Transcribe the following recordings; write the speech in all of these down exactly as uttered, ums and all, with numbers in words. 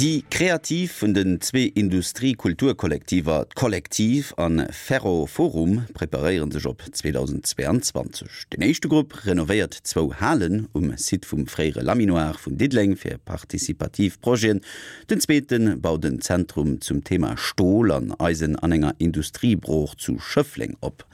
Déi Kreativ vun den zwee Industrie-Kulturkollektiver D'Kollektiv an Ferro-Forum preparéiere sech op zweedausendzweeanzwanzeg. Den éischte Grupp renovéiert zwou Halen um Site vum fréiere Laminoir vun Diddeleng fir participativ Projeten. Den zweete baut en Zentrum zum Thema Stol an Eisen an enger Industriebrooch zu Schëffleng op.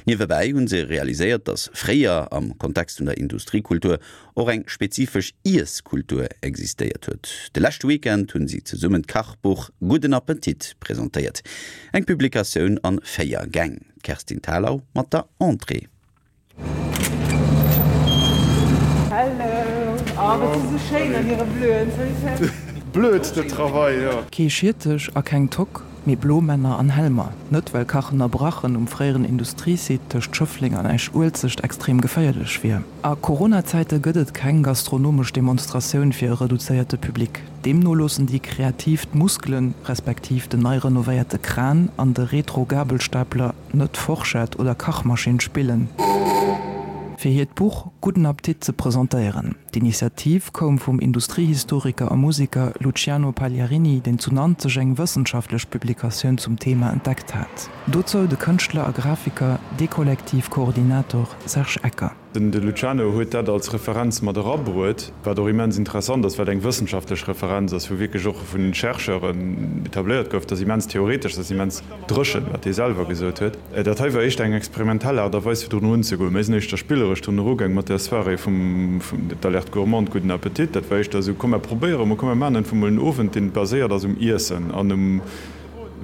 Niewebäi hu se realiséiert, datt fréier am Kontext vun der Industriekultur och eng spezifesch Iesskultur existéiert huet. De leschte Weekend hunn si zesummen d'Kachbuch Gudden Appetit presentéiert, eng Publikatioun an véier Gäng. D'Kerstin Thalau mat der Entrée. Hello, oh wat si sou schéin an hire Bleuen, salut Serge. Blöd de travail, jo. Kee Schiertech a keng Toque, mee Blomänner an Helmer. Net well Kachen a Brachen um fréieren Industriesite tëscht Schëffleng an Esch-Uelzecht extrem geféierlech wier. A Corona-Zäite gëtt et keng gastronomesch Demonstratioun fir e reduzéierte Public. Deemno loossen déi Kreativ d'Muskelen, respektiv den nei renovéierte Kran an de Retro-Gabelstapler net Forschett oder Kachmaschinn spillen. Fir hiert Buch Gudden Appetit ze presentéieren. D'Initiativ koum vum Industriehistoriker a Museker Luciano Pagliarini, deen zu Nanzeg eng wëssenschaftlech Publikatioun zum Thema entdeckt hat. Dozou de Kënschtler a Grafiker, D-Kollektiv-Koordinator Serge Ecker. Den de Luciano huet dat als Referenz mat erabruet, wat och immens interessant ass, well et eng wëssenschaftlech Referenz ass, wou wierklech och vun Chercheuren etabléiert gouf. Dat ass immens theoretesch, dat ass immens dréchen, wat dee selwer gesot huet. Dat hei war éischter eng experimentell Aart a Weis, fir drun erunzegoen. Mir sinn éischter spilleresch drun erugaang mat där Soirée vum d'Alerte gourmande, Gudden Appetit. Dat war éischter esou, komm mer probéiere mol, komm mer maachen einfach mol en Owend, dee baséiert ass um Iessen an um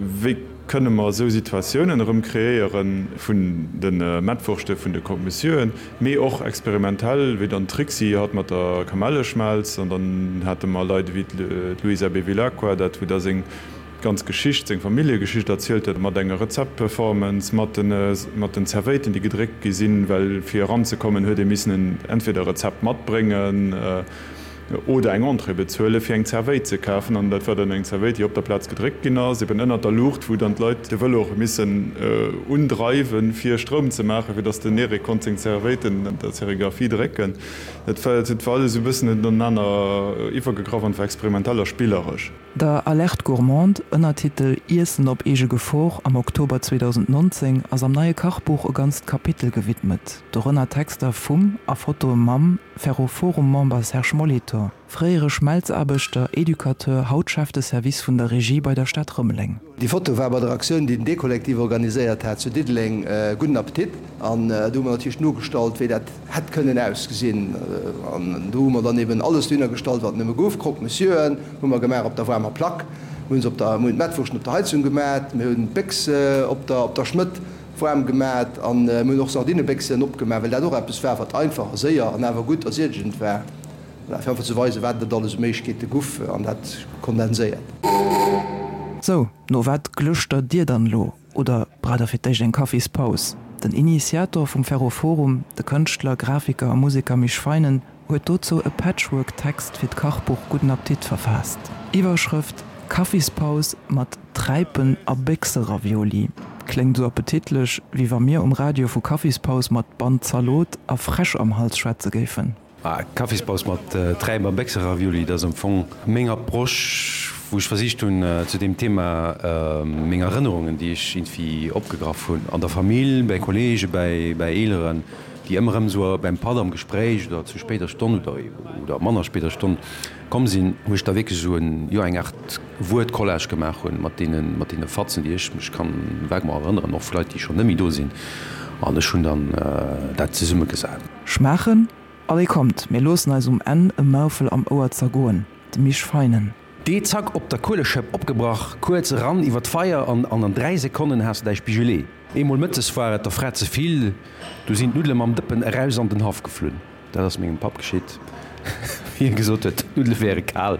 wéi kënne mer esou Situatiounen erëm kreéiere vun de Mettwurschte vun de Croque-Monsieuren, mee och experimentell, wéi dann d'Trixi hatt mat der Kamelleschmelz an dann hate mer Leit ewéi d'Luisa Bevilacqua, dat wou da seng ganz Geschicht, seng Familljegeschicht erzielt huet, mat enger Rezeptperformance, mat de mat den Zerwéiten, déi gedréckt gi sinn, well fir eranzekommen huet ee missen en entweder e Rezept matbréngen oder eng Entrée bezuelen, fir eng Zerwéit ze kafen. An dat war dann eng Zerwéit, déi op der Plaz gedréckt ginn ass, eben ënnert der Luucht, wou dann d'Leit de Vëlo och hu missen undreiwen, fir Stroum ze maachen, fir datt den Eric konnt seng Zerwéiten an der Serigraphie drécken. Dat war, dat war alles esou e bëssen inenaner iwwergegraff an war experimentell a spilleresch. Der Alerte gourmande, Ënnertitel, Iessen op eege Gefor, am Oktober zweedausendnonzéng ass am neie Kachbuch e ganzt Kapitel gewidmet, dorënner Texter vum a Fotoe mam Ferroforum-Member Serge Molitor, fréiere Schmelzaarbechter, Educateur, haut Chef de Service vun der Regie bei der Stad Rëmeleng. Déi Foto war bei der Aktioun, déi den D-Kollektiv organiséiert hat zu Diddeleng, Gudden Appetit. An do hu mer natierlech nogestallt, wéi dat hätt kënnen ausgesinn. An do hu mer dann eben alles dohinner gestallt, wat nëmme gouf. Croque-Monsieuren hu mer gemaach op der waarmer Plack, mir hunn se op der, mir hunn d'Mettwurschten op der Heizung gemat, mir hunn d'Béchs op der, op der Schmëtt waarm gemat an mir hunn och Sardinebéchsen opgemaach, well dat och eppes war, wat einfach a séier an awer gutt a siedegend war. Voilà, fir einfach ze weisen, wat et alles u Méiglechkeete guff an dat kondenséiert. Sou, no wat glëschtert Dir dann elo? Oder braucht Der fir d'éischt eng Kaffispaus? Den Initiator vum Ferroforum, de Kënschtler, Grafiker a Museker Misch Feinen, huet dozou e Patchwork-Text fir d'Kachbuch Gudden Appetit verfaasst. Iwwerschrëft, Kaffispaus mat Träipen a Béchseravioli. Kléngt esou appetitlech, wéi wa mir um Radio vu Kaffispaus mat Band Zalot a Fräsch am Hals schwätze géifen. Kaffispaus mat Träip a Béchseravioli, dat ass am Fong meng Approche, wou ech versicht hunn, zu deem Thema meng Erënnerungen, déi ech iergendwéi opgegraff hunn an der Famill, bäi Kolleegen, bäi Eeleren, déi ëmmer erëm esou beim Patt am Gespréich oder zu spéider Stonn oder manner spéider Stonn komm sinn, wou ech da wierklech esou en, jo, eng Aart Wuert-Collage gemaach hunn mat deene, mat deene Fatzen, déi ech mech kann vaguement erënneren, och vu Leit, déi schonn net méi do sinn, an ech hunn dann dat zesummegesat. Schmaachen? Allez kommt, mir loossen eis um Enn e Maufel am Ouer zergoen, de Misch Feinen. D'Ee zack op der Kueleschëpp opgebrach, kuerz eran iwwer d'Feier an an an dräi Sekonnen has de däi Spigelee. Eemol mëttes war et der Fra ze vill, du sinn d'Nuddele mam Dëppen eraus an den Haff geflunn. Dat ass mengem Papp geschitt, wéi hie gesot huet, d'Nuddele wäre kal.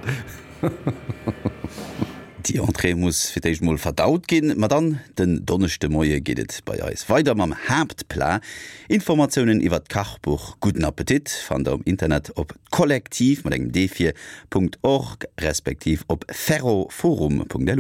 Déi Entrée muss fir d'éischt mol verdaut ginn, ma dann den Donneschdemoie geet et bei eis weider mam Haaptplat. Informatiounen iwwer d'Kachbuch Gudden Appetit fannt der um Internet op kollektiv mat engem D vir Punkt org respektiv op ferroforum Punkt lu.